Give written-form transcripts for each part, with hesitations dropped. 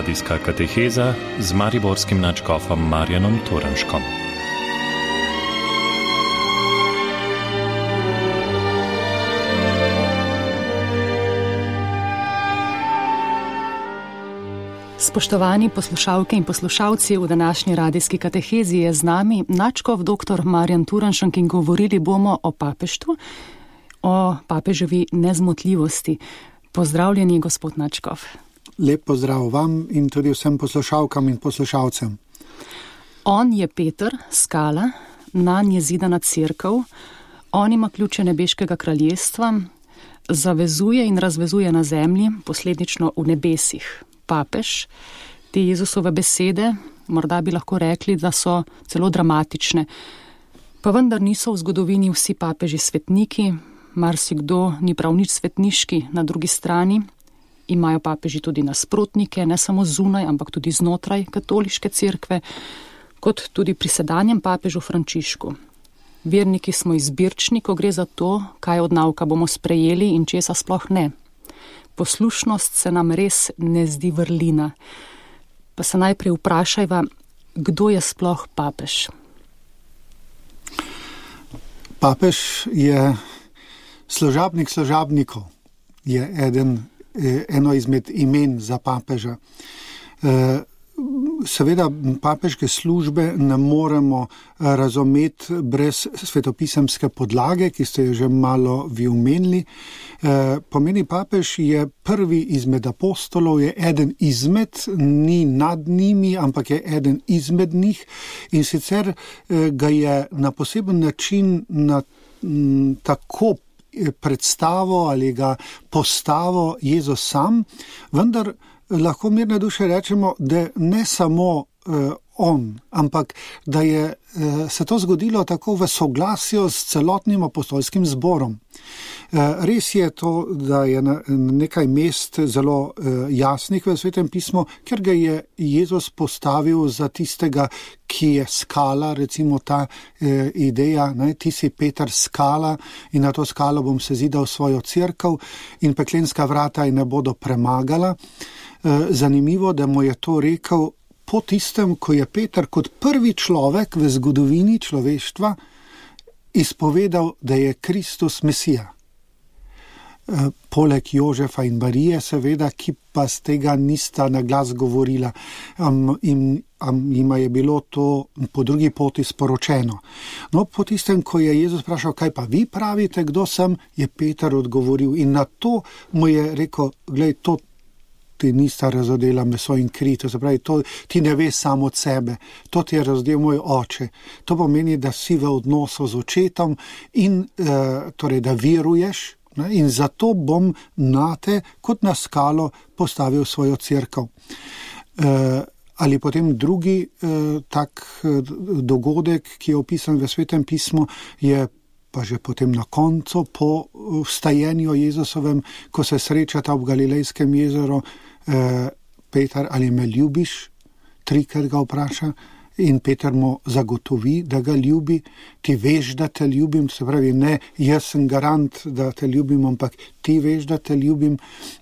Radijska kateheza z mariborskim nadškofom Marjanom Turnškom. Spoštovani poslušalke in poslušalci, v današnji radijski katehezi je z nami nadškof dr. Marjan Turnšek in govorili bomo o papeštvu, o papeževi nezmotljivosti. Pozdravljeni, gospod nadškof. Lep pozdrav vam in tudi vsem poslušalkam in poslušalcem. On je Peter, skala, nanj je zidana cerkev, on ima ključe nebeškega kraljestva, zavezuje in razvezuje na zemlji, posledično v nebesih. Papež, te Jezusove besede, morda bi lahko rekli, da so celo dramatične. Pa vendar niso v zgodovini vsi papeži svetniki, marsikdo ni prav nič svetniški, na drugi strani imajo papeži tudi nasprotnike, ne samo zunaj, ampak tudi znotraj katoliške cerkve, kot tudi pri sedanjem papežu Frančišku. Verniki smo izbirčni, ko gre za to, kaj od nauka bomo sprejeli in česa sploh ne. Poslušnost se nam res ne zdi vrlina. Pa se najprej vprašajva, kdo je sploh papež? Papež je služabnik služabnikov, je eno izmed imen za papeža. Seveda papežke službe ne moremo razumeti brez svetopisemske podlage, ki ste jo že malo vi omenili. Pomeni papež je prvi izmed apostolov, je eden izmed, ni nad njimi, ampak je eden izmed njih in sicer ga je na poseben način tako predstavo ali ga postavo Jezus sam, vendar lahko mirne duše rečemo, da ne samo on, ampak da je se to zgodilo tako v soglasju s celotnim apostolskim zborom. Res je to, da je na nekaj mest zelo jasnih v Svetem pismu, ker ga je Jezus postavil za tistega, ki je skala, recimo ta ideja, ti si Peter skala in na to skalo bom sezidal svojo cerkev in peklenska vrata ji ne bodo premagala. Zanimivo, da mu je to rekel po tistem, ko je Peter kot prvi človek v zgodovini človeštva izpovedal, da je Kristus Mesija. Poleg Jožefa in Marije, seveda, ki pa z tega nista na glas govorila, jima je bilo to po drugi poti sporočeno. No, po tistem, ko je Jezus vprašal, kaj pa vi pravite, kdo sem, je Peter odgovoril in na to mu je rekel, glej, to ti nista razodela meso in kri, to se pravi, to ti ne veš samo od sebe, to ti je razdel moj oče. To pomeni, da si v odnosu z očetom in torej, da veruješ, in zato bom nate kot na skalo postavil svojo cerkev. Ali potem drugi tak dogodek, ki je opisan v Svetem pismu, je pa že potem na koncu, po vstajenju Jezusovem, ko se srečata v Galilejskem jezeru, Peter, ali me ljubiš? Trikrat ga vpraša in Peter mu zagotovi, da ga ljubi. Ti veš, da te ljubim, se pravi, ne, jaz sem garant, da te ljubim, ampak ti veš, da te ljubim.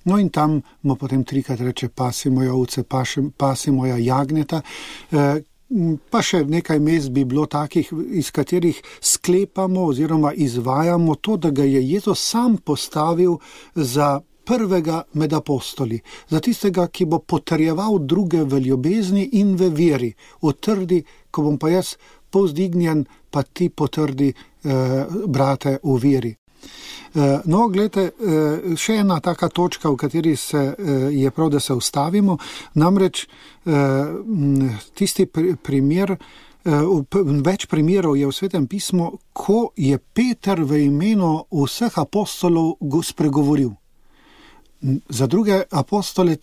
No in tam mu potem trikrat reče, pasi moja ovce, pasi moja jagnjeta. Pa še nekaj mest bi bilo takih, iz katerih sklepamo oziroma izvajamo to, da ga je Jezus sam postavil za prvega med apostoli, za tistega, ki bo potrjeval druge v ljubezni in v veri. Utrdi, ko bom pa jaz povzdignjen, pa ti potrdi, brate, v veri. No, gledajte, še ena taka točka, v kateri je prav, da se ustavimo, namreč tisti primer, več primerov je v Svetem pismu, ko je Peter v imenu vseh apostolov spregovoril. Za druge apostole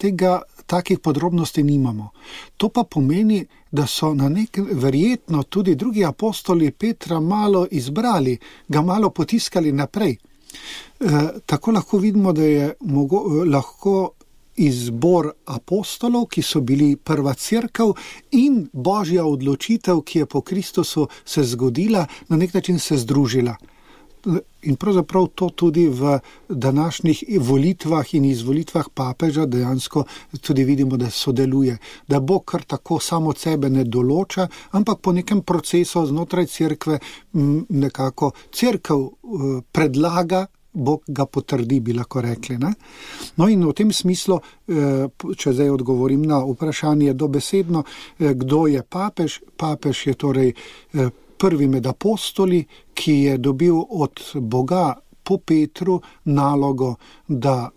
takih podrobnosti nimamo. To pa pomeni, da so verjetno tudi drugi apostoli Petra malo izbrali, ga malo potiskali naprej. Tako lahko vidimo, da je lahko izbor apostolov, ki so bili prva cerkev, in božja odločitev, ki je po Kristusu se zgodila, na nek način se združila. In pravzaprav to tudi v današnjih volitvah in izvolitvah papeža dejansko tudi vidimo, da sodeluje. Da Bog kar tako samo sebe ne določa, ampak po nekem procesu znotraj cerkve nekako cerkev predlaga, Bog ga potrdi, bi lahko rekli. Ne? No in v tem smislu, če zdaj odgovorim na vprašanje dobesedno, kdo je papež? Papež je torej prvi med apostoli, ki je dobil od Boga po Petru nalogo, da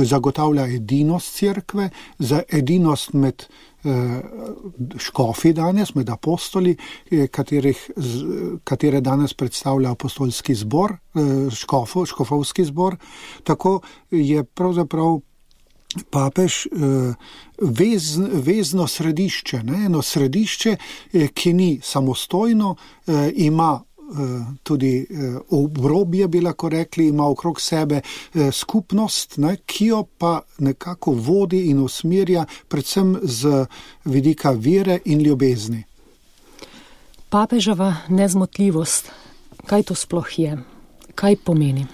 zagotavlja edinost cerkve, za edinost med škofi danes, med apostoli, katere danes predstavlja apostolski zbor, škofovski zbor. Tako je pravzaprav papež vezno središče, ne? Eno središče, ki ni samostojno, ima tudi obrobje, bi lahko rekli, ima okrog sebe skupnost, ne, ki jo pa nekako vodi in usmerja predvsem z vidika vere in ljubezni. Papeževa nezmotljivost, kaj to sploh je? Kaj pomeni?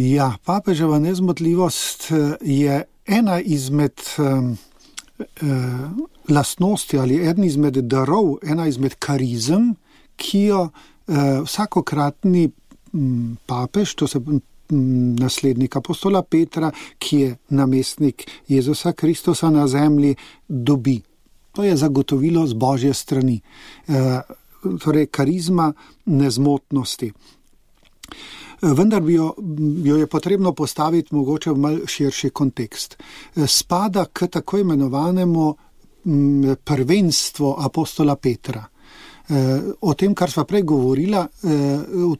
Ja, papeževa nezmotljivost je ena izmed lastnosti ali eden izmed darov, ena izmed karizem, ki jo vsakokratni papež, to se naslednik apostola Petra, ki je namestnik Jezusa Kristusa na zemlji, dobi. To je zagotovilo z Božje strani. Torej, karizma nezmotnosti. Vendar jo je potrebno postaviti mogoče v mal širši kontekst. Spada k tako imenovanemu prvenstvu apostola Petra. O tem, kar sva prej govorila,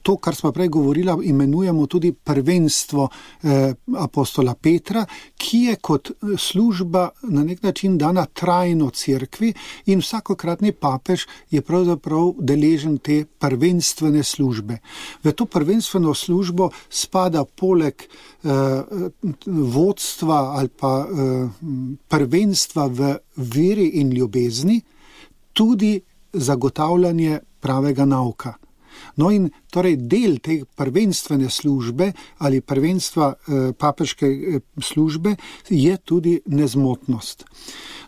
to, kar sva prej govorila, imenujemo tudi prvenstvo apostola Petra, ki je kot služba na nek način dana trajno cerkvi in vsakokratni papež je pravzaprav deležen te prvenstvene službe. V to prvenstveno službo spada poleg vodstva ali pa prvenstva v veri in ljubezni tudi zagotavljanje pravega nauka. No in torej del te prvenstvene službe ali prvenstva papeške službe je tudi nezmotnost.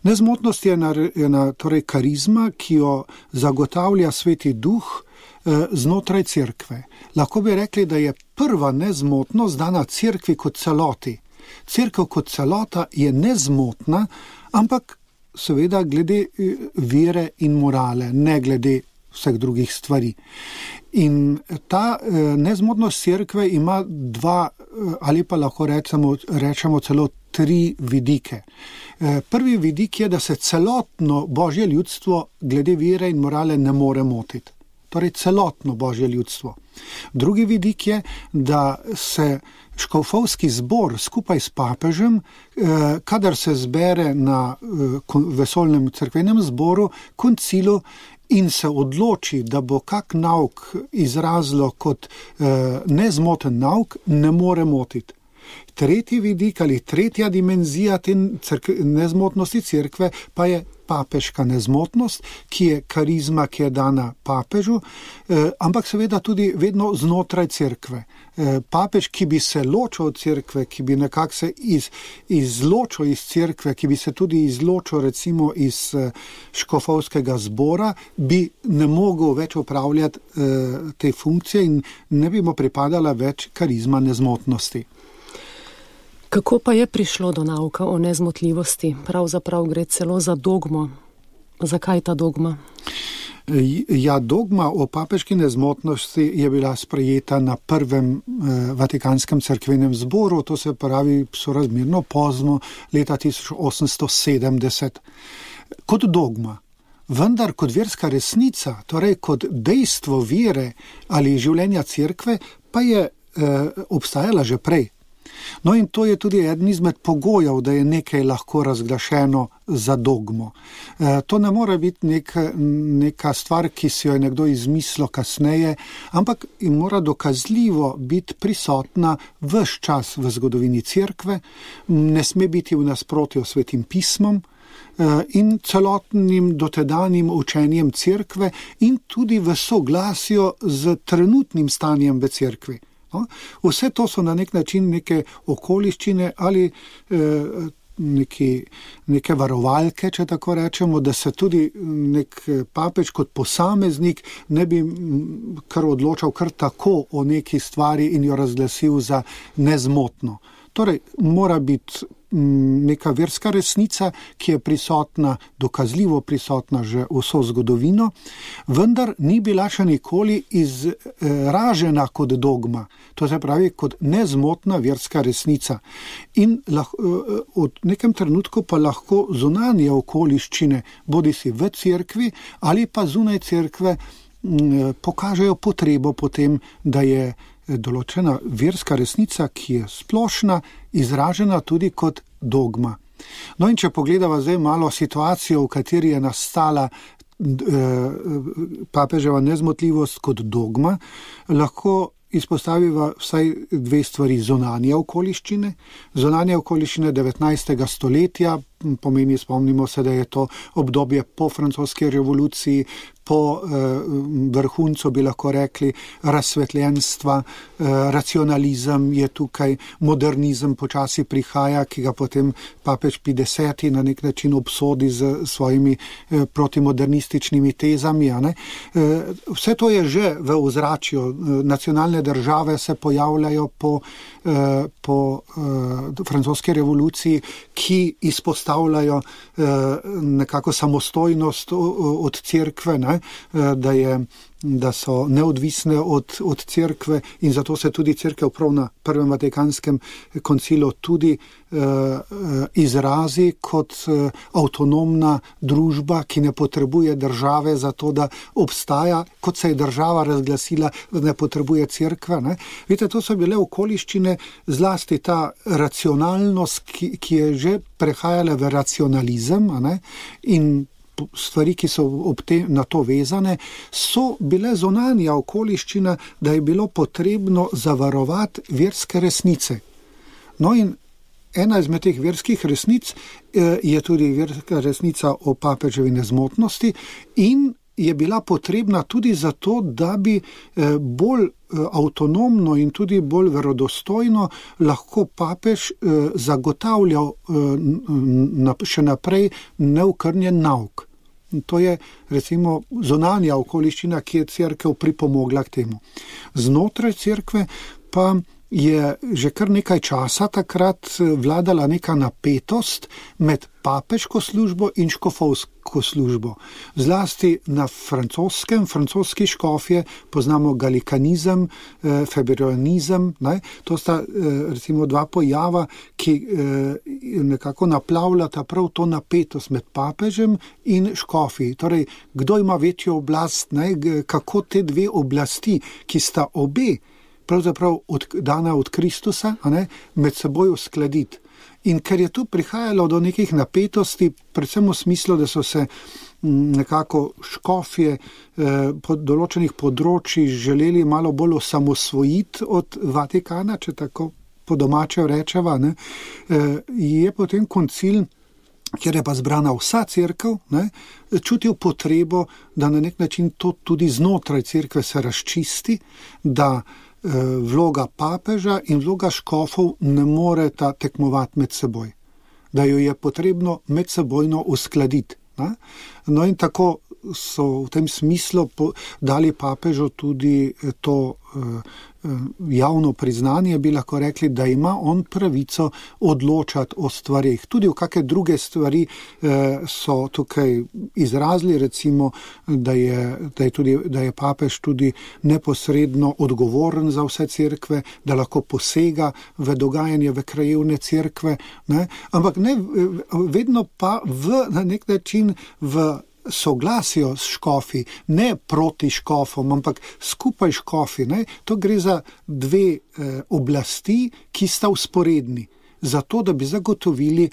Nezmotnost je ena torej karizma, ki jo zagotavlja Sveti Duh znotraj cerkve. Lahko bi rekli, da je prva nezmotnost dana cerkvi kot celoti. Cerkev kot celota je nezmotna, ampak seveda glede vere in morale, ne glede vseh drugih stvari. In ta nezmotnost cerkve ima dva, ali pa lahko rečemo celo tri vidike. Prvi vidik je, da se celotno Božje ljudstvo glede vere in morale ne more motiti. Torej celotno Božje ljudstvo. Drugi vidik je, da se škofovski zbor skupaj s papežem, kadar se zbere na vesoljnem cerkvenem zboru, koncilu in se odloči, da bo kak nauk izrazilo kot nezmoten nauk, ne more motiti. Tretji vidik ali tretja dimenzija te nezmotnosti cerkve pa je papeška nezmotnost, ki je karizma, ki je dana papežu, ampak seveda tudi vedno znotraj cerkve. Papež, ki bi se ločil od cerkve, ki bi nekako se izločil iz cerkve, ki bi se tudi izločil recimo iz škofovskega zbora, bi ne mogel več upravljati te funkcije in ne bi mu pripadala več karizma nezmotnosti. Kako pa je prišlo do nauka o nezmotljivosti? Pravzaprav gre celo za dogmo. Zakaj ta dogma? Ja, dogma o papeški nezmotnosti je bila sprejeta na prvem Vatikanskem cerkvenem zboru, to se pravi sorazmerno pozno, leta 1870. Kot dogma. Vendar kot verska resnica, torej kot dejstvo vere ali življenja cerkve, pa je obstajala že prej. No in to je tudi eden izmed pogojev, da je nekaj lahko razglašeno za dogmo. To ne more biti neka stvar, ki si jo je nekdo izmislil kasneje, ampak mora dokazljivo biti prisotna ves čas v zgodovini cerkve, ne sme biti v nasprotju s Svetim pismom in celotnim dotedanjim učenjem cerkve in tudi v soglasju z trenutnim stanjem v cerkvi. No? Vse to so na nek način neke okoliščine ali neke varovalke, če tako rečemo, da se tudi nek papež kot posameznik ne bi kar odločal kar tako o neki stvari in jo razglasil za nezmotno. Torej, mora biti neka verska resnica, ki je prisotna, dokazljivo prisotna že vso zgodovino, vendar ni bila še nikoli izražena kot dogma, to se pravi kot nezmotna verska resnica. In od nekem trenutku pa lahko zunanje okoliščine, bodisi v cerkvi ali pa zunaj cerkve, pokažejo potrebo potem, da je določena verska resnica, ki je splošna, izražena tudi kot dogma. No in če pogledava zdaj malo situacijo, v kateri je nastala papeževa nezmotljivost kot dogma, lahko izpostaviva vsaj dve stvari: zunanje okoliščine. Zunanje okoliščine 19. stoletja, pomeni, spomnimo se, da je to obdobje po francoski revoluciji, po vrhuncu bi lahko rekli razsvetljenstva, racionalizem je tukaj, modernizem počasi prihaja, ki ga potem papež Pij X na nek način obsodi z svojimi protimodernističnimi tezami. Vse to je že v ozračju. Nacionalne države se pojavljajo po francoski revoluciji, ki izpostavljajo nekako samostojnost od cerkve, da so neodvisne od cerkve in zato se tudi cerkev prav na Prvem Vatikanskem koncilu tudi izrazi kot avtonomna družba, ki ne potrebuje države za to, da obstaja, kot se je država razglasila, da ne potrebuje cerkve. Vidite, to so bile okoliščine, zlasti ta racionalnost, ki je že prehajala v racionalizem, in stvari, ki so na to vezane, so bile zunanja okoliščina, da je bilo potrebno zavarovati verske resnice. No in ena izmed teh verskih resnic je tudi verska resnica o papeževi nezmotnosti in je bila potrebna tudi zato, da bi bolj avtonomno in tudi bolj verodostojno lahko papež zagotavljal še naprej neokrnjen nauk. To je recimo zunanja okoliščina, ki je cerkev pripomogla k temu. Znotraj cerkve pa je že kar nekaj časa takrat vladala neka napetost med papeško službo in škofovsko službo. Zlasti na francoski škofje poznamo galikanizem, febrionizem, to sta recimo dva pojava, ki nekako naplavljata prav to napetost med papežem in škofi. Torej, kdo ima večjo oblast, kako te dve oblasti, ki sta obe pravzaprav dana od Kristusa, med seboj uskladiti. In ker je tu prihajalo do nekih napetosti, predvsem v smislu, da so se nekako škofje po določenih področjih želeli malo bolj osamosvojiti od Vatikana, če tako po domače rečeva, je potem koncil, kjer je pa zbrana vsa cerkev, čutil potrebo, da na nek način to tudi znotraj cerkve se razčisti, da vloga papeža in vloga škofov ne moreta tekmovati med seboj, da jo je potrebno medsebojno uskladiti. No in tako so v tem smislu dali papežu tudi to javno priznanje, bi lahko rekli, da ima on pravico odločati o stvarih. Tudi v kakšne druge stvari so tukaj izrazili, recimo, da je papež tudi neposredno odgovoren za vse cerkve, da lahko posega v dogajanje v krajevne cerkve, ampak ne vedno pa na nek način v soglasju s škofi, ne proti škofom, ampak skupaj škofi. To gre za dve oblasti, ki sta vzporedni, zato da bi zagotovili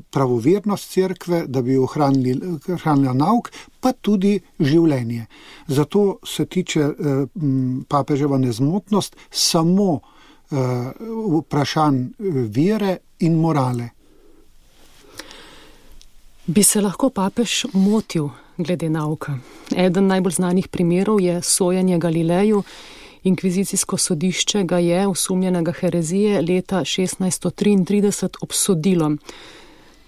pravovernost cerkve, da bi ohranila nauk, pa tudi življenje. Zato se tiče papeževa nezmotnost samo vprašanj vere in morale. Bi se lahko papež motil glede nauka? Eden najbolj znanih primerov je sojenje Galileju. Inkvizicijsko sodišče ga je osumljenega herezije leta 1633 obsodilo.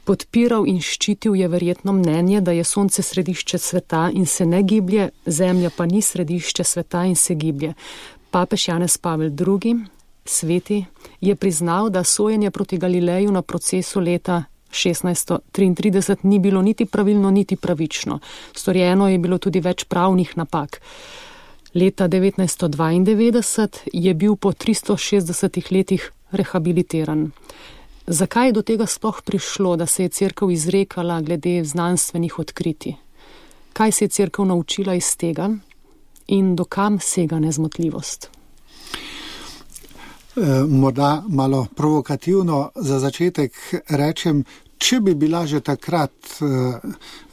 Podpiral in ščitil je verjetno mnenje, da je sonce središče sveta in se ne giblje, zemlja pa ni središče sveta in se giblje. Papež Janez Pavel II, sveti, je priznal, da sojenje proti Galileju na procesu leta 1633 ni bilo niti pravilno, niti pravično. Storjeno je bilo tudi več pravnih napak. Leta 1992 je bil po 360 letih rehabilitiran. Zakaj je do tega sploh prišlo, da se je cerkev izrekala glede znanstvenih odkritij? Kaj se je cerkev naučila iz tega in dokam sega nezmotljivost? Morda malo provokativno za začetek rečem, če bi bila že takrat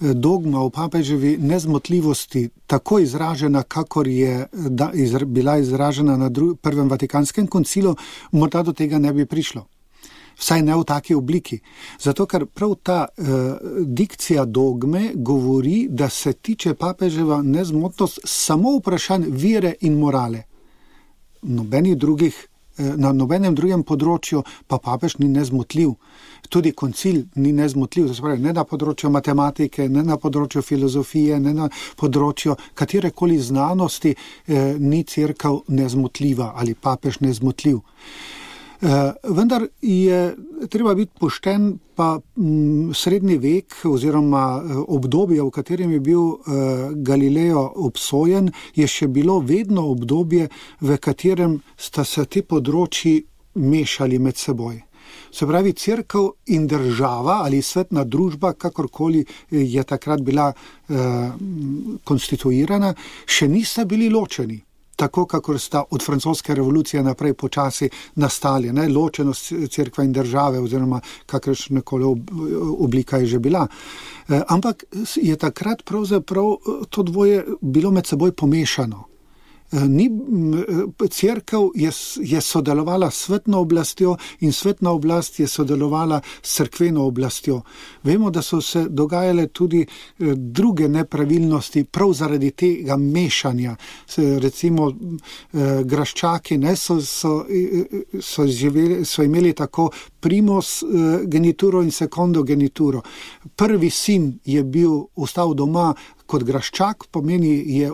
dogma o papeževi nezmotljivosti tako izražena, kakor je bila izražena na Prvem Vatikanskem koncilu, morda do tega ne bi prišlo. Vsaj ne v taki obliki. Zato, ker prav ta dikcija dogme govori, da se tiče papeževa nezmotnost samo vprašanj vere in morale. Na nobenem drugem področju pa papež ni nezmotljiv. Tudi koncil ni nezmotljiv, to se pravi, ne na področju matematike, ne na področju filozofije, ne na področju katerekoli znanosti ni cerkev nezmotljiva ali papež nezmotljiv. Vendar je treba biti pošten, pa srednji vek oziroma obdobje, v katerem je bil Galileo obsojen, je še bilo vedno obdobje, v katerem sta se ti področji mešali med seboj. Se pravi, cerkev in država ali svetna družba, kakorkoli je takrat bila konstituirana, še nista bili ločeni. Tako, kakor sta od francoske revolucije naprej počasi nastali, ločenost cerkve in države oziroma kakršnekoli oblika je že bila. Ampak je takrat pravzaprav to dvoje bilo med seboj pomešano. Cerkev je sodelovala s svetno oblastjo in svetna oblast je sodelovala s cerkveno oblastjo. Vemo, da so se dogajale tudi druge nepravilnosti prav zaradi tega mešanja. Recimo Graščaki so imeli tako primos genituro in secondo genituro. Prvi sin je ostal doma kot Graščak, pomeni je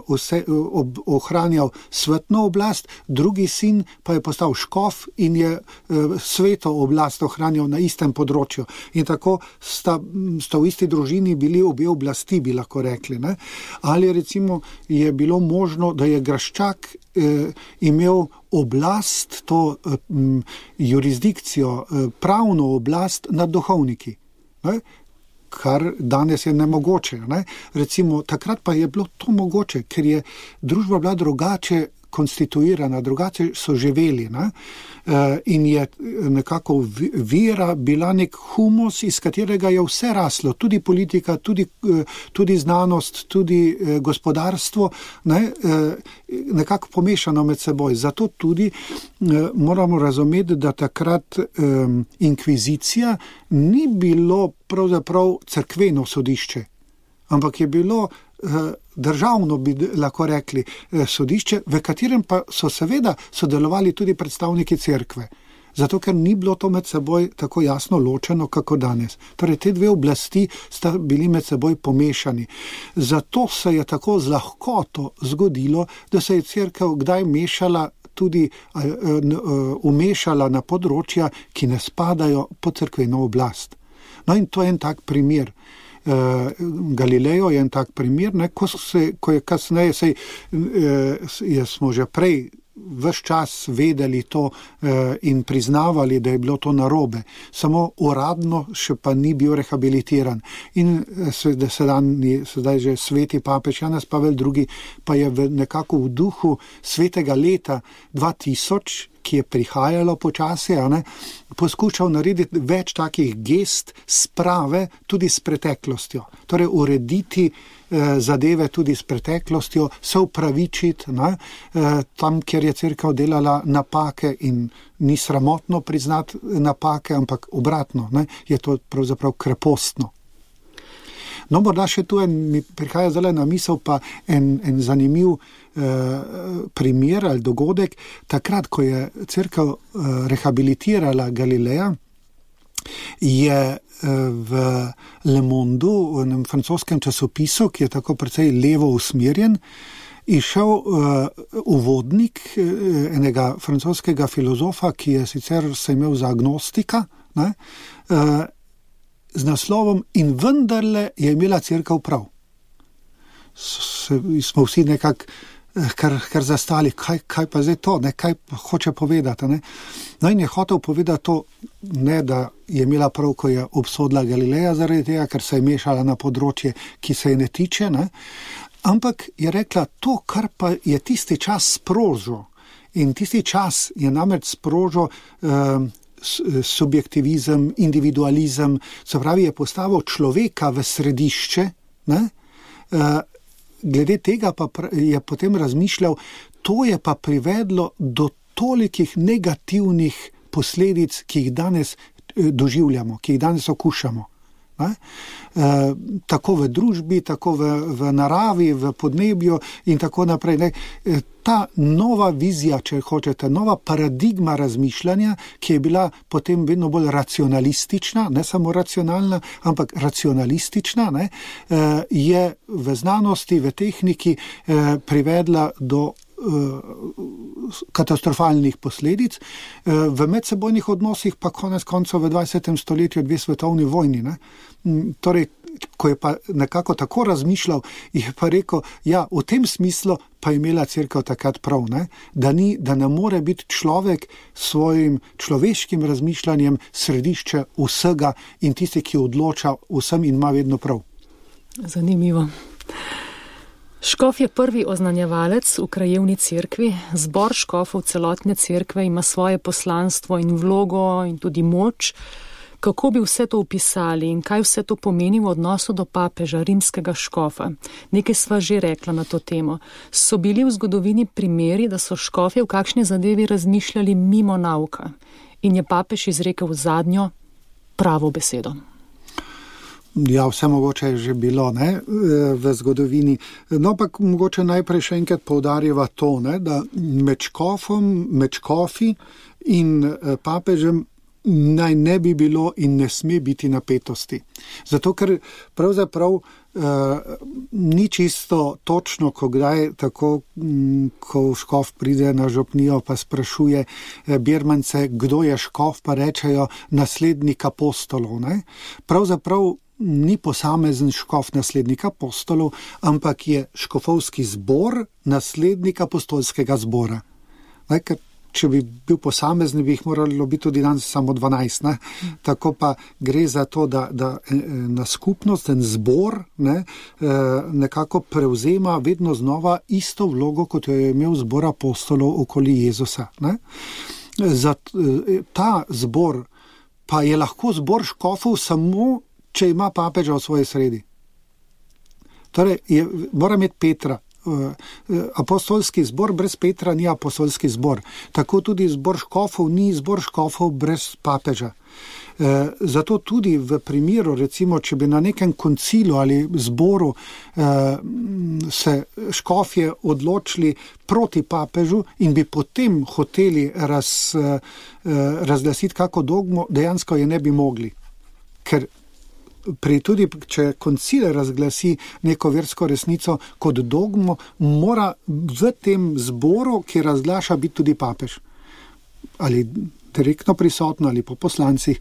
ohranjal svetno oblast, drugi sin pa je postal škof in je sveto oblast ohranjal na istem področju. In tako sta v isti družini bili obe oblasti, bi lahko rekli. Ne? Ali recimo je bilo možno, da je Graščak imel oblast, to jurisdikcijo, pravno oblast nad duhovniki. Ne? Kar danes je nemogoče. Ne? Recimo, takrat pa je bilo to mogoče, ker je družba bila drugače konstituirana, drugače so živeli. Ne? In je nekako vera bila nek humus, iz katerega je vse raslo, tudi politika, tudi znanost, tudi gospodarstvo, nekako pomešano med seboj. Zato tudi moramo razumeti, da takrat inkvizicija ni bilo pravzaprav cerkveno sodišče, ampak je bilo državno, bi lahko rekli, sodišče, v katerem pa so seveda sodelovali tudi predstavniki cerkve. Zato, ker ni bilo to med seboj tako jasno ločeno, kako danes. Torej, te dve oblasti sta bili med seboj pomešani. Zato se je tako z lahkoto zgodilo, da se je cerkev kdaj mešala tudi umešala na področja, ki ne spadajo pod cerkveno oblast. No in to je en tak primer. Galileo je en tak primer, ko je kasneje, smo že prej ves čas vedeli to in priznavali, da je bilo to narobe. Samo uradno še pa ni bil rehabilitiran. In sedaj že sveti papež Janez Pavel II pa je nekako v duhu svetega leta 2000, ki je prihajalo počasi, poskušal narediti več takih gest sprave tudi s preteklostjo. Torej urediti zadeve tudi s preteklostjo, se upravičiti tam, kjer je cerkev delala napake in ni sramotno priznati napake, ampak obratno, je to pravzaprav krepostno. No, morda še tu mi prihaja zdaj na misel pa en zanimiv primer ali dogodek. Takrat, ko je cerkev rehabilitirala Galileja, je v Le Monde, v enem francoskem časopisu, ki je tako precej levo usmerjen, išel uvodnik enega francoskega filozofa, ki je sicer se imel za agnostika, ne, z naslovom In vendarle je imela cerkev prav. Smo vsi nekako kar zastali, kaj pa zdaj to, ne, kaj hoče povedati. Ne. No in je hotel povedati to, ne da je imela prav, ko je obsodila Galileja zaradi tega, ker se je mešala na področje, ki se je ne tiče, ne, ampak je rekla to, kar pa je tisti čas sprožil. In tisti čas je namreč sprožil subjektivizem, individualizem, se pravi, je postavil človeka v središče, ne, glede tega pa je potem razmišljal, to je pa privedlo do tolikih negativnih posledic, ki jih danes doživljamo, ki jih danes okušamo. Tako v družbi, tako v naravi, v podnebju in tako naprej. Ne. Ta nova vizija, če hočete, nova paradigma razmišljanja, ki je bila potem vedno bolj racionalistična, ne samo racionalna, ampak racionalistična, ne, je v znanosti, v tehniki privedla do katastrofalnih posledic, v medsebojnih odnosih pa konec koncev v 20. stoletju 2 svetovni vojni. Ne. Torej, ko je pa nekako tako razmišljal, je pa rekel, ja, v tem smislu pa je imela cerkev takrat prav, ne? Da ne more biti človek s svojim človeškim razmišljanjem središče vsega in tisti, ki odloča vsem in ima vedno prav. Zanimivo. Škof je prvi oznanjevalec v krajevni cerkvi. Zbor škofov celotne cerkve ima svoje poslanstvo in vlogo in tudi moč. Kako bi vse to opisali in kaj vse to pomeni v odnosu do papeža, rimskega škofa? Nekaj sva že rekla na to temo. So bili v zgodovini primeri, da so škofje v kakšni zadevi razmišljali mimo nauka in je papež izrekel zadnjo pravo besedo? Ja, vse mogoče je že bilo, ne, v zgodovini. No, pa mogoče najprej še enkrat poudarjava to, ne, da med škofi in papežem naj ne bi bilo in ne sme biti napetosti. Zato, ker pravzaprav ni čisto točno, ko kdaj tako, ko škof pride na župnijo pa sprašuje birmance, kdo je škof, pa rečejo naslednik apostolov. Ne? Pravzaprav ni posamezen škof naslednik apostolov, ampak je škofovski zbor naslednik apostolskega zbora. Ne? Ker če bi bil posamezni, bi jih moralo biti tudi danes samo 12. Ne? Tako pa gre za to, da na skupnost, ten zbor, ne, nekako prevzema vedno znova isto vlogo, kot jo je imel zbor apostolov okoli Jezusa. Ne? Ta zbor pa je lahko zbor škofov samo, če ima papeža v svoji sredi. Torej, mora imeti Petra. Apostolski zbor brez Petra ni apostolski zbor. Tako tudi zbor škofov ni zbor škofov brez papeža. Zato tudi v primeru, recimo, če bi na nekem koncilu ali zboru se škofje odločili proti papežu in bi potem hoteli razglasiti kako dogmo, dejansko je ne bi mogli. Ker tudi, če koncil razglasi neko versko resnico kot dogmo, mora v tem zboru, ki razglaša, biti tudi papež. Ali direktno prisotno, ali po poslancih,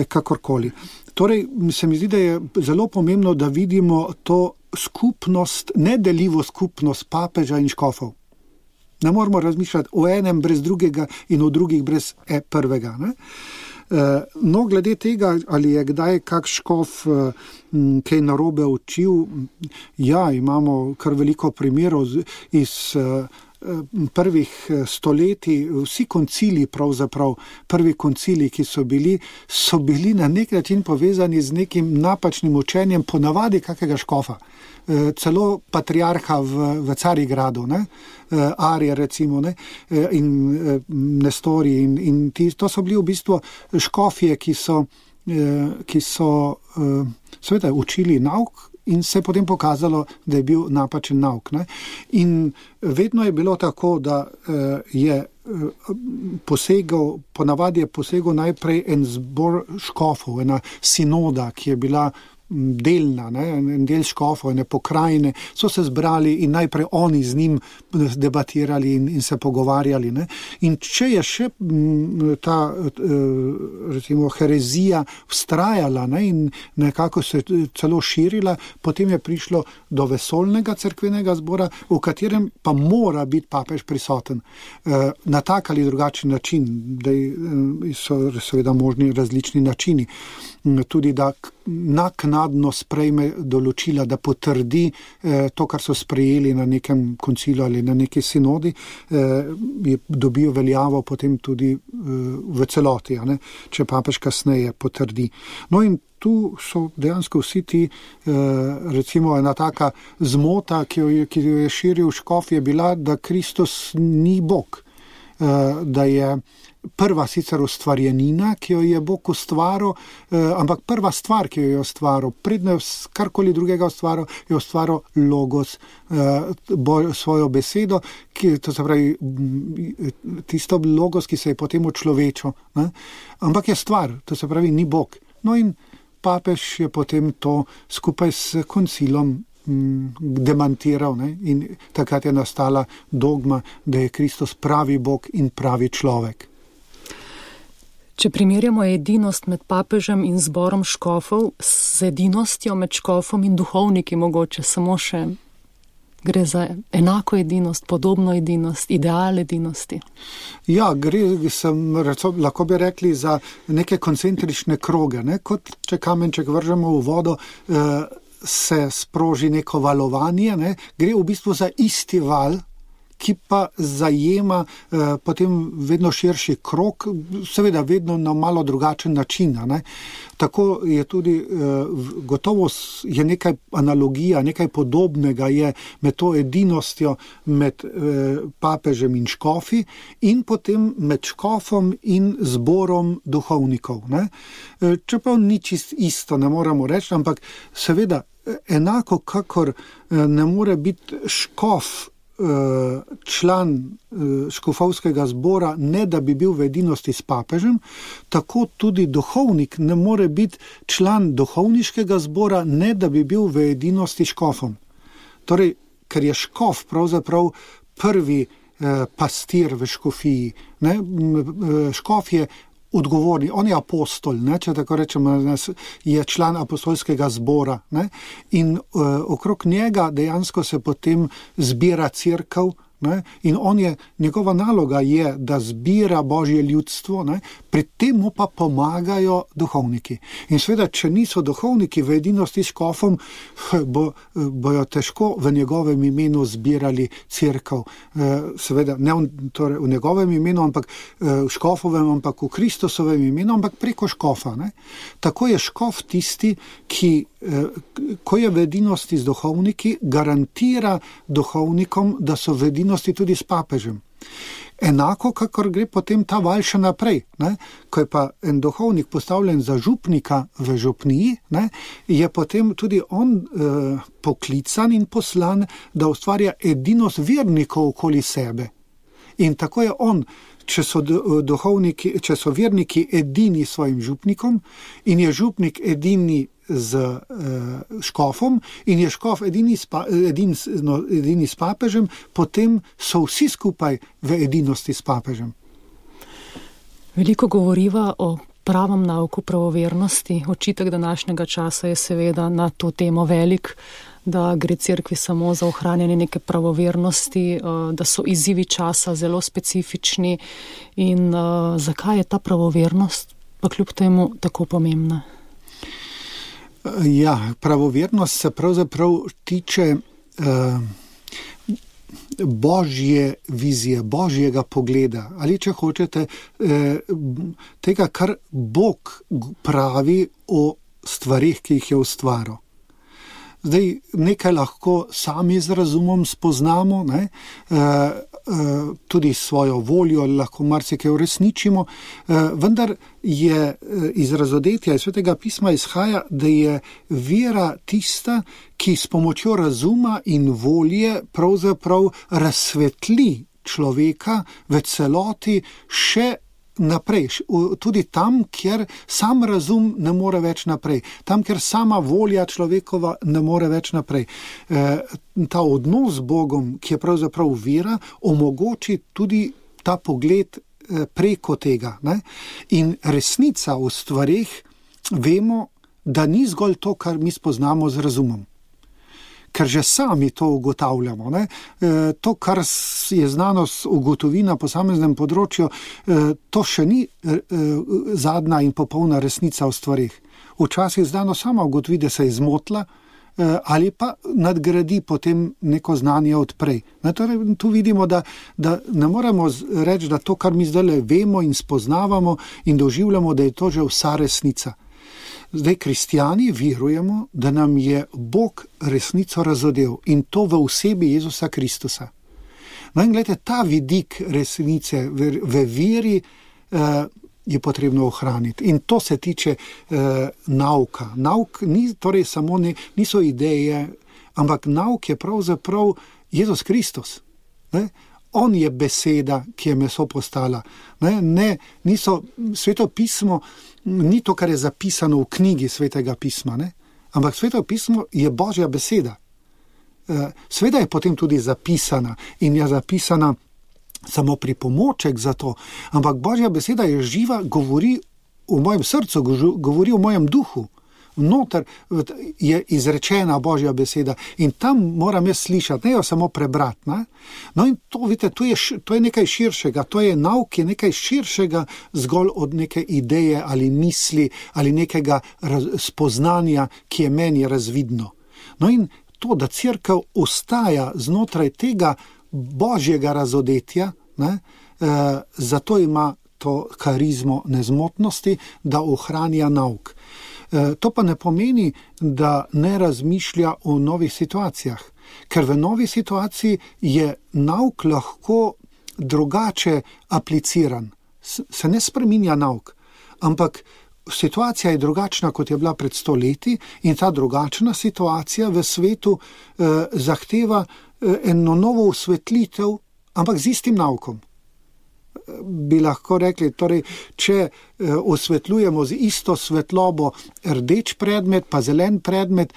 kakorkoli. Torej, se mi zdi, da je zelo pomembno, da vidimo to skupnost, nedeljivo skupnost papeža in škofov. Ne moramo razmišljati o enem brez drugega in o drugih brez prvega, ne? No, glede tega, ali je kdaj kak škof kaj narobe učil, ja, imamo kar veliko primerov iz prvih stoletij, vsi koncili pravzaprav, prvi koncili, ki so bili na nek način povezani z nekim napačnim učenjem, ponavadi kakega škofa. Celo patriarha v Carigradu, ne? Arije recimo, ne? In Nestori in to so bili v bistvu škofje, ki so seveda učili nauk in se je potem pokazalo, da je bil napačen nauk. Ne? In vedno je bilo tako, da je ponavadi je posegel najprej en zbor škofov, ena sinoda, ki je bila delna, en del škofov, ene pokrajine, so se zbrali in najprej oni z njim debatirali in se pogovarjali. Ne? In če je še ta recimo herezija vztrajala, ne? In nekako se celo širila, potem je prišlo do vesoljnega cerkvenega zbora, v katerem pa mora biti papež prisoten na tak ali drugačen način, da so seveda možni različni načini. Tudi da naknadno sprejme določila, da potrdi to, kar so sprejeli na nekem koncilu ali na neki sinodi, dobijo veljavo potem tudi v celoti, če papež kasneje potrdi. No in tu so dejansko vsi ti, recimo ena taka zmota, ki jo je širil škof, je bila, da Kristus ni Bog, da je prva sicer ustvarjenina, ki jo je Bog ustvaril, ampak prva stvar, ki jo je ustvaril, predno karkoli drugega ustvaril, je ustvaril logos, svojo besedo, to se pravi tisto logos, ki se je potem očlovečil, ampak je stvar, to se pravi ni Bog. No in papež je potem to skupaj s koncilom demantiral, ne? In takrat je nastala dogma, da je Kristus pravi Bog in pravi človek. Če primerjamo edinost med papežem in zborom škofov z edinostjo med škofom in duhovniki, mogoče samo še gre za enako edinost, podobno edinost, ideal edinosti. Ja, lahko bi rekli za neke koncentrične kroge, ne? Kot če kamenček vržemo v vodo, se sproži neko valovanje, ne? Gre v bistvu za isti val, ki pa zajema potem vedno širši krog, seveda vedno na malo drugačen način. Ne? Tako je tudi, gotovo je nekaj analogija, nekaj podobnega je med to edinostjo med papežem in škofi in potem med škofom in zborom duhovnikov. Ne? Čeprav ni čist isto, ne moramo reči, ampak seveda enako kakor ne more biti škof član škofovskega zbora, ne da bi bil v edinosti s papežem, tako tudi duhovnik ne more biti član duhovniškega zbora, ne da bi bil v edinosti s škofom. Torej, ker je škof pravzaprav prvi pastir v škofiji. Ne? Škof je odgovorni, on je apostol, ne, če tako rečemo, je član apostolskega zbora, ne, in okrog njega dejansko se potem zbira cerkev, ne, in njegova naloga je, da zbira Božje ljudstvo, ne, pri tem mu pa pomagajo duhovniki. In seveda, če niso duhovniki v edinosti s škofom, bojo težko v njegovem imenu zbirali cerkev. Seveda, ne torej v njegovem imenu, ampak v škofovem, ampak v Kristusovem imenu, ampak preko škofa. Ne. Tako je škof tisti, ki, ko je v edinosti z duhovniki, garantira duhovnikom, da so v edinosti tudi s papežem. Enako, kakor gre potem ta val še naprej, ne? Ko je pa en duhovnik postavljen za župnika v župniji, ne? Je potem tudi on poklican in poslan, da ustvarja edinost vernikov okoli sebe. In tako je on, če so verniki edini s svojim župnikom in je župnik edini z škofom in je škof edini s papežem, potem so vsi skupaj v edinosti s papežem. Veliko govoriva o pravem nauku pravovernosti. Očitek današnjega časa je seveda na to temo velik, da gre cerkvi samo za ohranjanje neke pravovernosti, da so izzivi časa zelo specifični in zakaj je ta pravovernost pa kljub temu tako pomembna? Ja, pravovernost se pravzaprav tiče Božje vizije, Božjega pogleda, ali če hočete, tega, kar Bog pravi o stvarih, ki jih je ustvaril. Zdaj, nekaj lahko sami z razumom spoznamo, ne? Tudi svojo voljo lahko marsikaj uresničimo, vendar je iz razodetja iz Svetega pisma izhaja, da je vera tista, ki s pomočjo razuma in volje pravzaprav razsvetli človeka v celoti še naprej, tudi tam, kjer sam razum ne more več naprej, tam, kjer sama volja človekova ne more več naprej. Ta odnos z Bogom, ki je pravzaprav vera, omogoči tudi ta pogled preko tega, ne? In resnica v stvareh vemo, da ni zgolj to, kar mi spoznamo z razumom. Ker že sami to ugotavljamo. Ne? To, kar je znanost ugotovi na posameznem področju, to še ni zadnja in popolna resnica v stvarih. Včasih znanost sama ugotovi, da se je zmotila ali pa nadgradi potem neko znanje odprej. Torej, tu vidimo, da ne moremo reči, da to, kar mi zdaj vemo in spoznavamo in doživljamo, da je to že vsa resnica. Zdaj, kristijani verujemo, da nam je Bog resnico razodel in to v osebi Jezusa Kristusa. No in gledajte, ta vidik resnice v veri je potrebno ohraniti. In to se tiče nauka. Nauk ni torej samo niso ideje, ampak nauk je pravzaprav Jezus Kristus. Ne? On je beseda, ki je meso postala. Niso Sveto pismo, ni to, kar je zapisano v knjigi Svetega pisma, ne? Ampak Sveto pismo je Božja beseda. Sveda je potem tudi zapisana in je zapisana samo pripomoček za to, ampak Božja beseda je živa, govori v mojem srcu, govori v mojem duhu. Noter je izrečena Božja beseda in tam moram jaz slišati, ne jo samo prebrati. Ne? No in to, vidite, to je nekaj širšega, to je nauk, je nekaj širšega zgolj od neke ideje ali misli ali nekega spoznanja, ki je meni razvidno. No in to, da cerkev ostaja znotraj tega Božjega razodetja, ne, zato ima to karizmo nezmotnosti, da ohranja nauk. To pa ne pomeni, da ne razmišlja o novih situacijah, ker v novi situaciji je nauk lahko drugače apliciran. Se ne spreminja nauk, ampak situacija je drugačna, kot je bila pred 100 leti in ta drugačna situacija v svetu zahteva eno novo osvetlitev, ampak z istim naukom. Bi lahko rekli, torej, če osvetljujemo z isto svetlobo rdeč predmet, pa zelen predmet,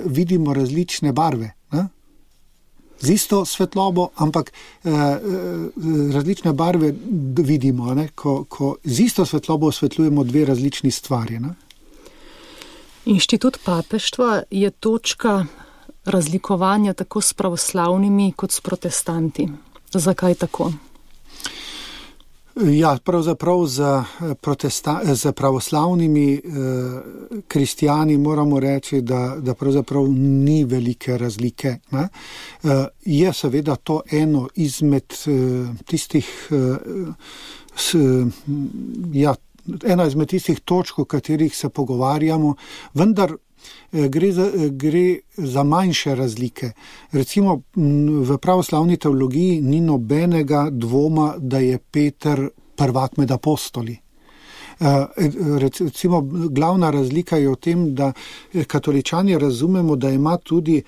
vidimo različne barve. Ne? Z isto svetlobo, ampak različne barve vidimo, ne? Ko z isto svetlobo osvetljujemo dve različni stvari. Ne? Inštitut papeštva je točka razlikovanja tako s pravoslavnimi kot s protestanti. Zakaj tako? Ja, pravzaprav za pravoslavnimi kristijani moramo reči, da pravzaprav ni velike razlike. Ne? Je seveda to eno izmed tistih točk, o katerih se pogovarjamo, vendar gre za manjše razlike. Recimo v pravoslavni teologiji ni nobenega dvoma, da je Peter prvak med apostoli. Recimo glavna razlika je v tem, da katoličani razumemo, da ima tudi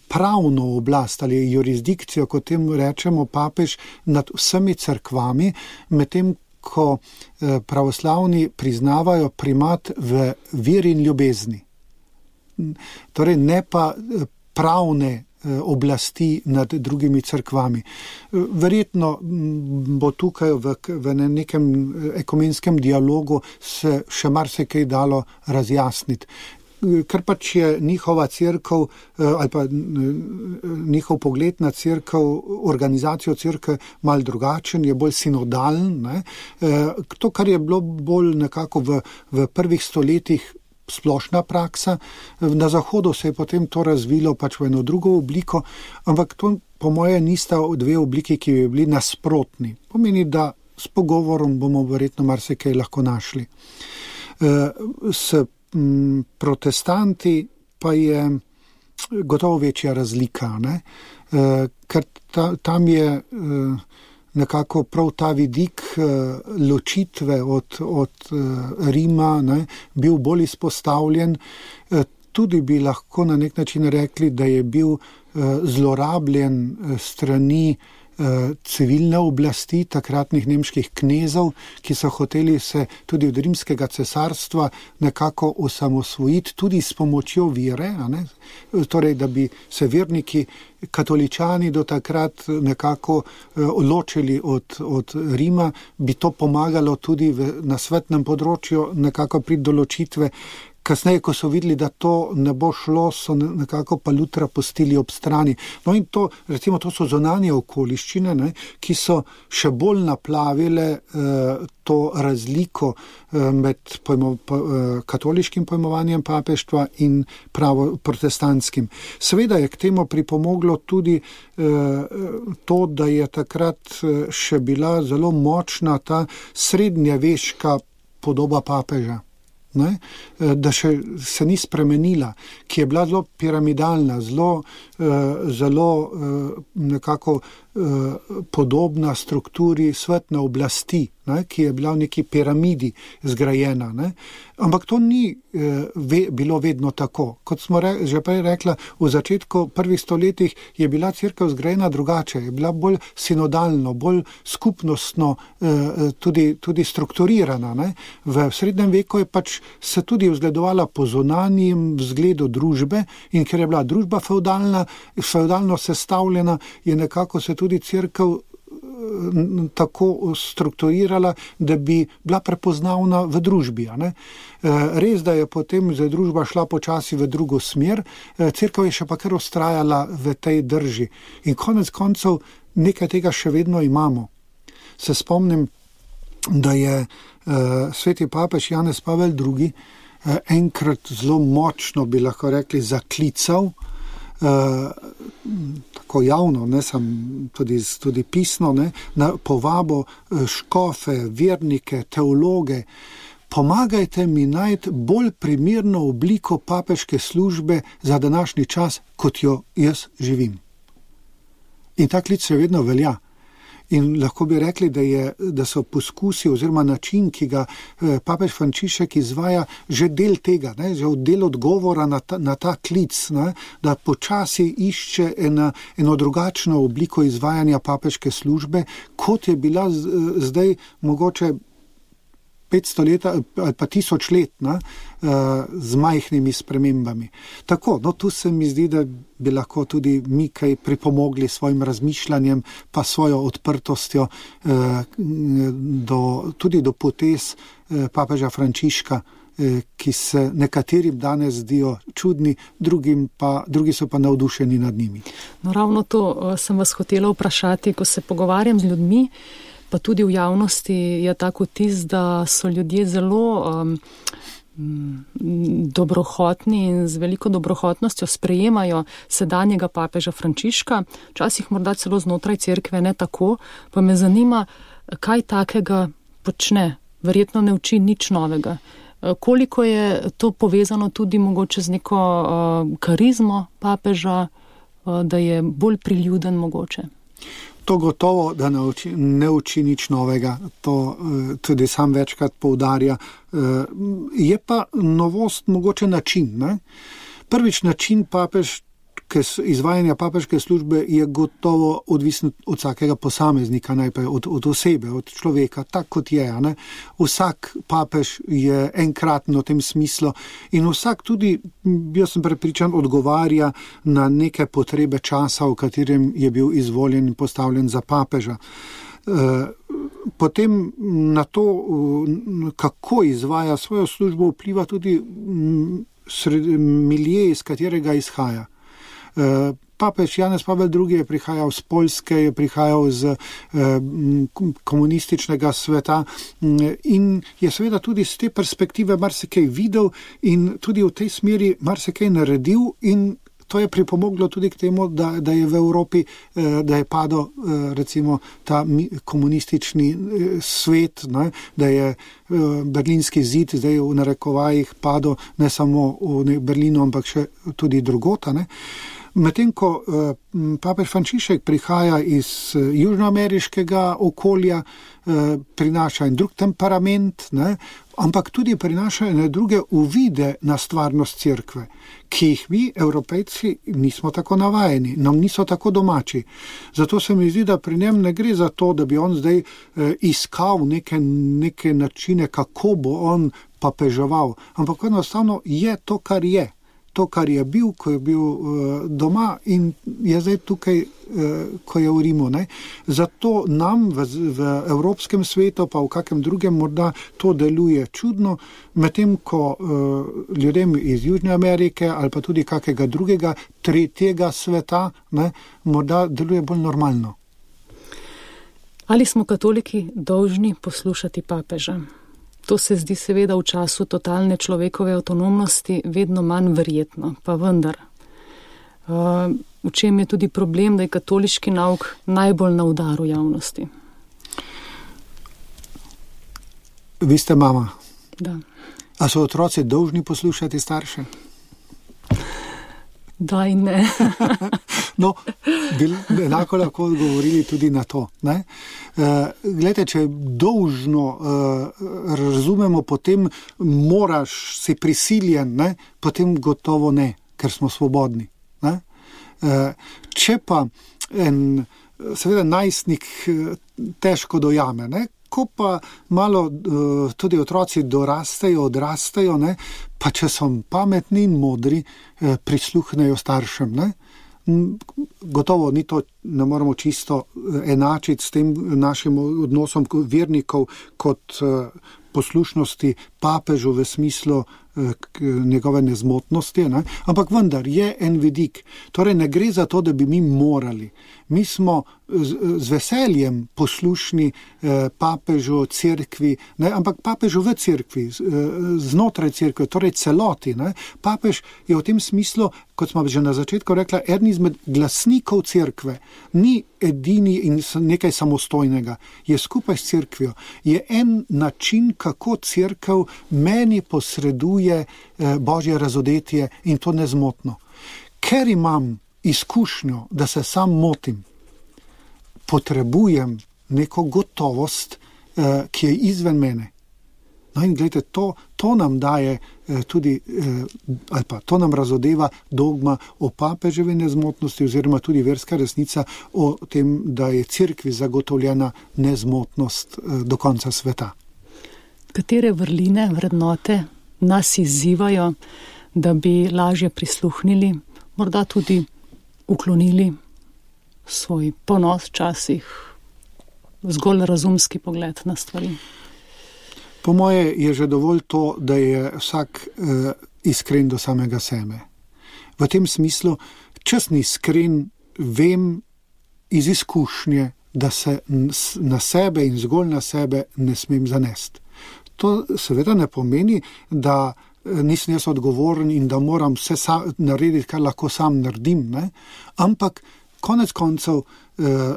pravno oblast ali jurisdikcijo, kot temu rečemo, papež nad vsemi cerkvami, medtem ko pravoslavni priznavajo primat v veri in ljubezni. Torej ne pa pravne oblasti nad drugimi cerkvami. Verjetno bo tukaj v nekem ekumenskem dialogu se še marsikaj dalo razjasniti. Ker pač je njihova cerkev ali pa njihov pogled na cerkev, organizacijo cerkve malo drugačen, je bolj sinodalen. Ne? To, kar je bilo bolj nekako v prvih stoletjih splošna praksa, na Zahodu se je potem to razvilo pač v eno drugo obliko, ampak to po moje nista dve obliki, ki bi bili nasprotni. Pomeni, da s pogovorom bomo verjetno marsikaj lahko našli. S protestanti pa je gotovo večja razlika, ne? Ker tam je nekako prav ta vidik ločitve od Rima, ne, bil bolj izpostavljen. Tudi bi lahko na nek način rekli, da je bil zlorabljen strani civilne oblasti takratnih nemških knezov, ki so hoteli se tudi od rimskega cesarstva nekako osamosvojiti, tudi s pomočjo vere, ne? Torej, da bi se verniki katoličani do takrat nekako ločili od Rima, bi to pomagalo tudi na svetnem področju nekako pri določitve. Kasneje, ko so videli, da to ne bo šlo, so nekako pa Lutra pustili ob strani. No in to, recimo, to so zunanje okoliščine, ne, ki so še bolj naplavile to razliko med katoliškim pojmovanjem papeštva in pravo protestantskim. Seveda je k temu pripomoglo tudi to, da je takrat še bila zelo močna ta srednjeveška podoba papeža. Ne, da še se ni spremenila, ki je bila zelo piramidalna, zelo nekako podobna strukturi svetne oblasti, ne, ki je bila v neki piramidi zgrajena. Ne. Ampak to ni bilo vedno tako. Kot smo že prej rekla, v začetku prvih stoletjih je bila cerkev zgrajena drugače, je bila bolj sinodalno, bolj skupnostno tudi strukturirana. Ne. V srednjem veku je pač se tudi vzgledovala po zunanjem vzgledu družbe in ker je bila družba fevdalno sestavljena, je nekako se tudi cerkev tako strukturirala, da bi bila prepoznavna v družbi. Ne? Res, da je potem družba šla počasi v drugo smer, cerkev je še pa kar vztrajala v tej drži. In konec koncev nekaj tega še vedno imamo. Se spomnim, da je sveti papež Janez Pavel II enkrat zelo močno, bi lahko rekli, zaklical, tako javno, ne, tudi pisno, ne, na povabo škofe, vernike, teologe, pomagajte mi najti bolj primerno obliko papeške službe za današnji čas, kot jo jaz živim. In ta klic še vedno velja. In lahko bi rekli, da so poskusi oziroma način, ki ga papež Frančišek izvaja, že del tega, ne, že del odgovora na ta klic, ne, da počasi išče eno drugačno obliko izvajanja papeške službe, kot je bila zdaj mogoče 500 let ali pa 1000 let, ne, z majhnimi spremembami. Tako, no tu se mi zdi, da bi lahko tudi mi kaj pripomogli svojim razmišljanjem, pa svojo odprtostjo tudi do potez papeža Frančiška, ki se nekaterim danes zdijo čudni, drugi so pa navdušeni nad njimi. No, ravno to sem vas hotela vprašati, ko se pogovarjam z ljudmi, pa tudi v javnosti je tako vtis, da so ljudje zelo dobrohotni in z veliko dobrohotnostjo sprejemajo sedanjega papeža Frančiška, včasih morda celo znotraj cerkve ne tako, pa me zanima, kaj takega počne, verjetno ne uči nič novega. Koliko je to povezano tudi mogoče z neko karizmo papeža, da je bolj priljuden mogoče? To gotovo, da ne uči nič novega, to tudi sam večkrat poudarja. Je pa novost mogoče način. Ne? Prvič način izvajanja papeške službe je gotovo odvisen od vsakega posameznika, najprej od osebe, od človeka, tak kot je. Ne? Vsak papež je enkraten v tem smislu in vsak tudi, jaz sem prepričan, odgovarja na neke potrebe časa, v katerem je bil izvoljen in postavljen za papeža. Potem na to, kako izvaja svojo službo, vpliva tudi milje, iz katerega izhaja. Papež Janez Pavel II je prihajal z Poljske, je prihajal z komunističnega sveta in je seveda tudi z te perspektive marsikaj videl in tudi v tej smeri marsikaj naredil in to je pripomoglo tudi k temu, da je v Evropi, da je padel recimo ta komunistični svet, ne, da je berlinski zid zdaj v narekovajih padel ne samo v Berlinu, ampak še tudi drugota. Medtem ko papež Frančišek prihaja iz južnoameriškega okolja, prinaša en drug temperament, ne, ampak tudi prinaša ene druge uvide na stvarnost cerkve, ki jih mi, Evropejci, nismo tako navajeni, nam niso tako domači. Zato se mi zdi, da pri njem ne gre za to, da bi on zdaj iskal neke načine, kako bo on papeževal, ampak enostavno je to, kar je. To, kar je bil, ko je bil doma in je zdaj tukaj, ko je v Rimu. Ne? Zato nam v evropskem svetu, pa v kakem drugem morda to deluje čudno, medtem ko ljudem iz Južne Amerike ali pa tudi kakega drugega, tretjega sveta, ne, morda deluje bolj normalno. Ali smo katoliki dolžni poslušati papeža? To se zdi seveda v času totalne človekove avtonomnosti vedno manj verjetno, pa vendar. V čem je tudi problem, da je katoliški nauk najbolj na udaru javnosti? Vi ste mama. Da. A so otroci dolžni poslušati starše? Da in ne. No, bi enako lahko odgovorili tudi na to. Glejte, če dolžno razumemo, potem moraš, si prisiljen, ne? Potem gotovo ne, ker smo svobodni. Ne? Če pa seveda najstnik težko dojame, ne? Ko pa malo tudi otroci odrastejo, ne? Pa če so pametni in modri, prisluhnejo staršem, ne? Gotovo ni to, ne moramo čisto enačiti s tem našim odnosom vernikov kot poslušnosti papežu v smislu njegove nezmotnosti, ne? Ampak vendar je en vidik. Torej ne gre za to, da bi mi morali. Mi smo z veseljem poslušni papežu, cerkvi, ne? Ampak papežu v cerkvi, znotraj cerkve, torej celoti. Ne? Papež je v tem smislu, kot smo že na začetku rekla, eden izmed glasnikov cerkve. Ni edini in nekaj samostojnega. Je skupaj s cerkvijo. Je en način, kako cerkev meni posreduje Božje razodetje in to nezmotno. Ker imam izkušnjo, da se sam motim, potrebujem neko gotovost, ki je izven mene. No in gledajte, to nam daje tudi, ali pa to nam razodeva dogma o papeževi nezmotnosti oziroma tudi verska resnica o tem, da je cerkvi zagotovljena nezmotnost do konca sveta. Katere vrline, vrednote nas izzivajo, da bi lažje prisluhnili, morda tudi uklonili svoj ponos včasih, zgolj razumski pogled na stvari? Po moje je že dovolj to, da je vsak iskren do samega sebe. V tem smislu, če sem iskren, vem iz izkušnje, da se na sebe in zgolj na sebe ne smem zanesti. To seveda ne pomeni, da nisem jaz odgovoren in da moram vse narediti, kar lahko sam naredim, ne? Ampak konec koncev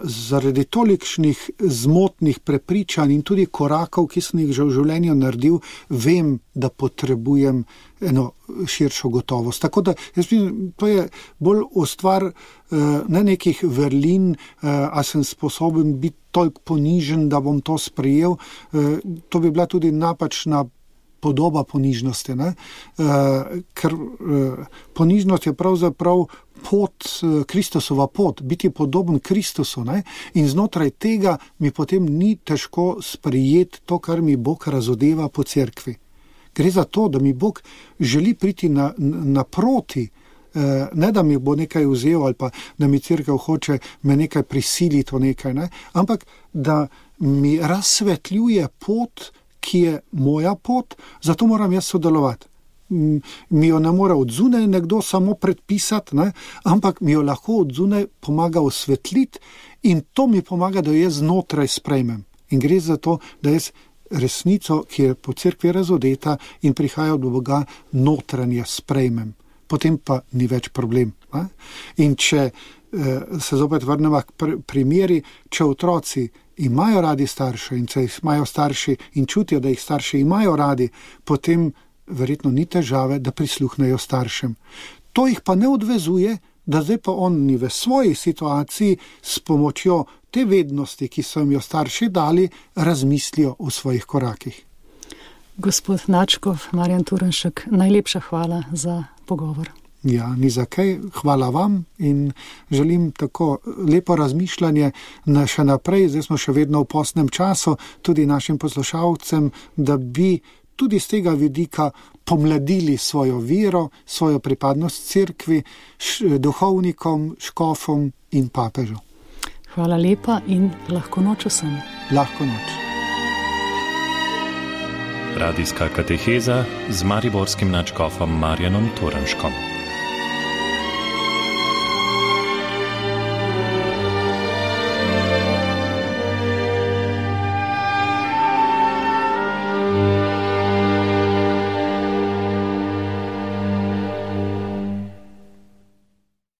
zaradi tolikšnih zmotnih prepričanj in tudi korakov, ki sem jih že v življenju naredil, vem, da potrebujem eno širšo gotovost. Tako da, jaz mislim, to je bolj o stvar ne nekih vrlin, a sem sposoben biti toliko ponižen, da bom to sprejel. To bi bila tudi napačna podoba ponižnosti, ne? Ker ponižnost je pravzaprav pot, Kristusova pot, biti podoben Kristusu, ne? In znotraj tega mi potem ni težko sprejeti to, kar mi Bog razodeva po cerkvi. Gre za to, da mi Bog želi priti naproti, ne da mi bo nekaj vzel ali pa da mi cerkev hoče me nekaj prisiliti v nekaj, ne? Ampak da mi razsvetljuje pot, ki je moja pot, zato moram jaz sodelovati. Mi jo ne mora od zunaj nekdo samo predpisati, ne? Ampak mi jo lahko od zunaj pomaga osvetliti in to mi pomaga, da jo jaz znotraj sprejmem. In gre za to, da jaz resnico, ki je po cerkvi razodeta in prihaja od Boga, notranje sprejmem. potem pa ni več problem. In če se zopet vrnemo k primeri, če otroci imajo radi starše in če imajo starši in čutijo, da jih starši imajo radi, potem verjetno ni težave, da prisluhnejo staršem. To jih pa ne odvezuje, da zdaj pa oni v svoji situaciji s pomočjo te vednosti, ki so jim jo starši dali, razmislijo o svojih korakih. Gospod Nadškof, Marjan Turnšek, najlepša hvala za pogovor. Ja, ni za kaj, hvala vam in želim tako lepo razmišljanje še naprej, zdaj smo še vedno v postnem času, tudi našim poslušalcem, da bi tudi z tega vidika pomladili svojo vero, svojo pripadnost cerkvi, duhovnikom, škofom in papežu. Hvala lepa in lahko noč vsem. Lahko noč. Radijska kateheza z mariborskim nadškofom Marjanom Turnškom.